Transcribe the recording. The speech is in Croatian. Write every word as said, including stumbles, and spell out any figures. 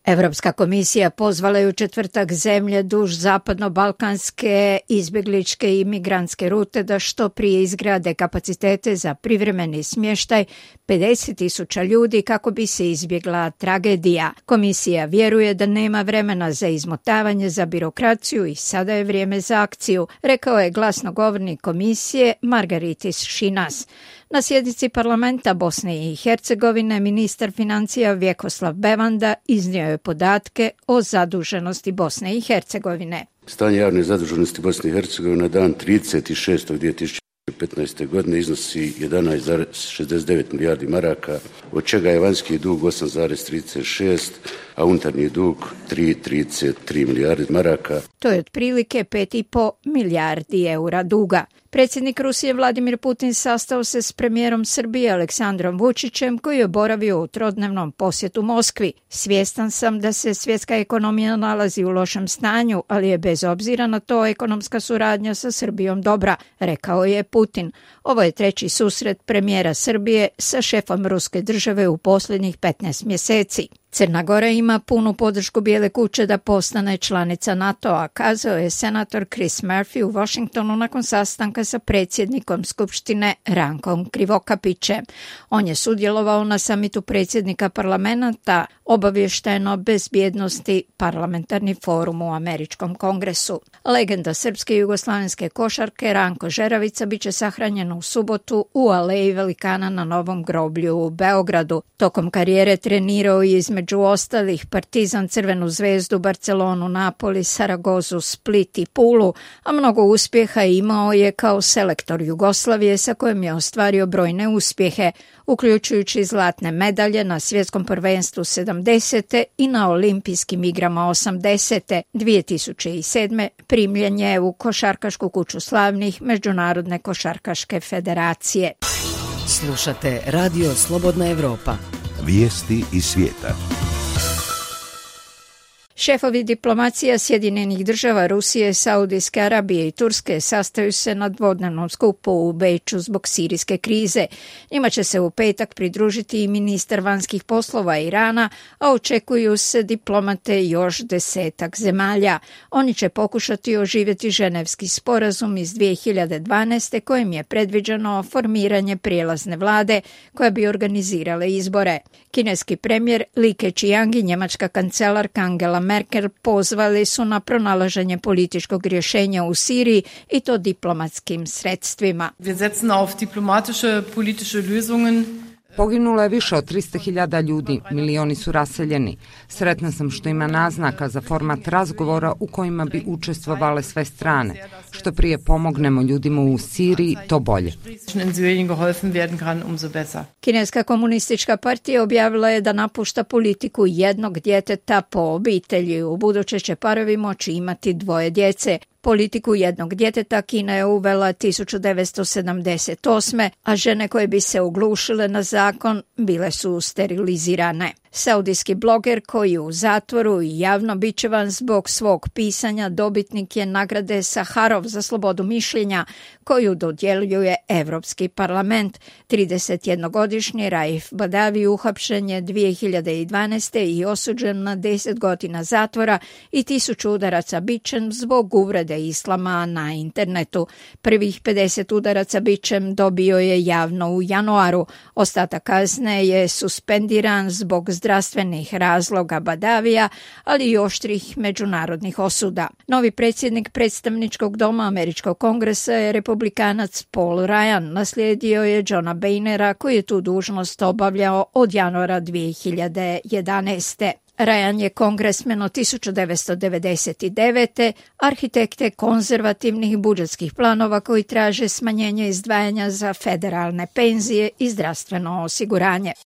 Evropska komisija pozvala je u četvrtak zemlje duž zapadno-balkanske izbjegličke i migrantske rute da što prije izgrade kapacitete za privremeni smještaj pedeset tisuća ljudi kako bi se izbjegla tragedija. Komisija vjeruje da nema vremena za izmotavanje, za birokraciju i sada je vrijeme za akciju, rekao je glasnogovornik komisije Margaritis Šinas. Na sjednici parlamenta Bosne i Hercegovine ministar financija Vjekoslav Bevanda iznio je podatke o zaduženosti Bosne i Hercegovine. Stanje javne zaduženosti Bosne i Hercegovine na dan trideset šesti dvije tisuće petnaeste. godine iznosi jedanaest zarez šezdeset devet milijardi maraka, od čega je vanjski dug osam zarez trideset šest, a unutarnji dug tri zarez trideset tri milijardi maraka. To je otprilike pet zarez pet milijardi eura duga. Predsjednik Rusije Vladimir Putin sastao se s premijerom Srbije Aleksandrom Vučićem koji je boravio u trodnevnom posjetu Moskvi. Svjestan sam da se svjetska ekonomija nalazi u lošem stanju, ali je bez obzira na to ekonomska suradnja sa Srbijom dobra, rekao je Putin. Ovo je treći susret premijera Srbije sa šefom ruske države u posljednjih petnaest mjeseci. Crna Gora ima punu podršku Bijele kuće da postane članica NATO-a, kazao je senator Chris Murphy u Washingtonu nakon sastanka sa predsjednikom Skupštine Rankom Krivokapićem. On je sudjelovao na samitu predsjednika parlamenta obavješteno bezbjednosti parlamentarni forum u Američkom kongresu. Legenda srpske i jugoslavenske košarke Ranko Žeravica biće sahranjen u subotu u Aleji velikana na Novom groblju u Beogradu. Tokom karijere trenirao je između ostalih Partizan, Crvenu zvezdu, Barcelonu, Napoli, Saragozu, Split i Pulu, a mnogo uspjeha imao je kao selektor Jugoslavije sa kojim je ostvario brojne uspjehe, uključujući zlatne medalje na svjetskom prvenstvu sedamdesete i na olimpijskim igrama osamdesete. dvije tisuće sedme primljen je u Košarkašku kuću slavnih Međunarodne košarkaške federacije. Slušate Radio Slobodna Evropa. Vijesti iz svijeta. Šefovi diplomacija Sjedinjenih država, Rusije, Saudijske Arabije i Turske sastaju se na dvodnevnom skupu u Beču zbog sirijske krize. Njima će se u petak pridružiti i ministar vanjskih poslova Irana, a očekuju se diplomate još desetak zemalja. Oni će pokušati oživjeti ženevski sporazum iz dvije hiljade dvanaeste kojim je predviđeno formiranje prijelazne vlade koja bi organizirala izbore. Kineski premijer Li Keqiang i njemačka kancelarka Angela Merkel pozvali su na pronalaženje političkog rješenja u Siriji i to diplomatskim sredstvima. Wir setzen auf diplomatische politische Lösungen. Poginulo je više od trista hiljada ljudi, milioni su raseljeni. Sretna sam što ima naznaka za format razgovora u kojima bi učestvovale sve strane. Što prije pomognemo ljudima u Siriji, to bolje. Kineska komunistička partija objavila je da napušta politiku jednog djeteta po obitelji. U buduće će parovi moći imati dvoje djece. Politiku jednog djeteta Kina je uvela tisuću devetsto sedamdeset osme, a žene koje bi se oglušile na zakon bile su sterilizirane. Saudijski bloger koji je u zatvoru i javno bičevan zbog svog pisanja dobitnik je nagrade Saharov za slobodu mišljenja koju dodjeljuje Europski parlament. tridesetjednogodišnji Raif Badavi uhapšen je dvije hiljade dvanaeste. i osuđen na deset godina zatvora i tisuću udaraca bičem zbog uvrede islama na internetu. Prvih pedeset udaraca bičem dobio je javno u januaru. Ostatak kazne je suspendiran zbog zdravstvenih razloga Badavija, ali i oštrih međunarodnih osuda. Novi predsjednik predstavničkog doma Američkog kongresa je republikanac Paul Ryan. Naslijedio je Johna Boehnera koji je tu dužnost obavljao od januara dvije hiljade jedanaeste. Ryan je kongresmen od tisuću devetsto devedeset devete. arhitekte konzervativnih budžetskih planova koji traže smanjenje izdvajanja za federalne penzije i zdravstveno osiguranje.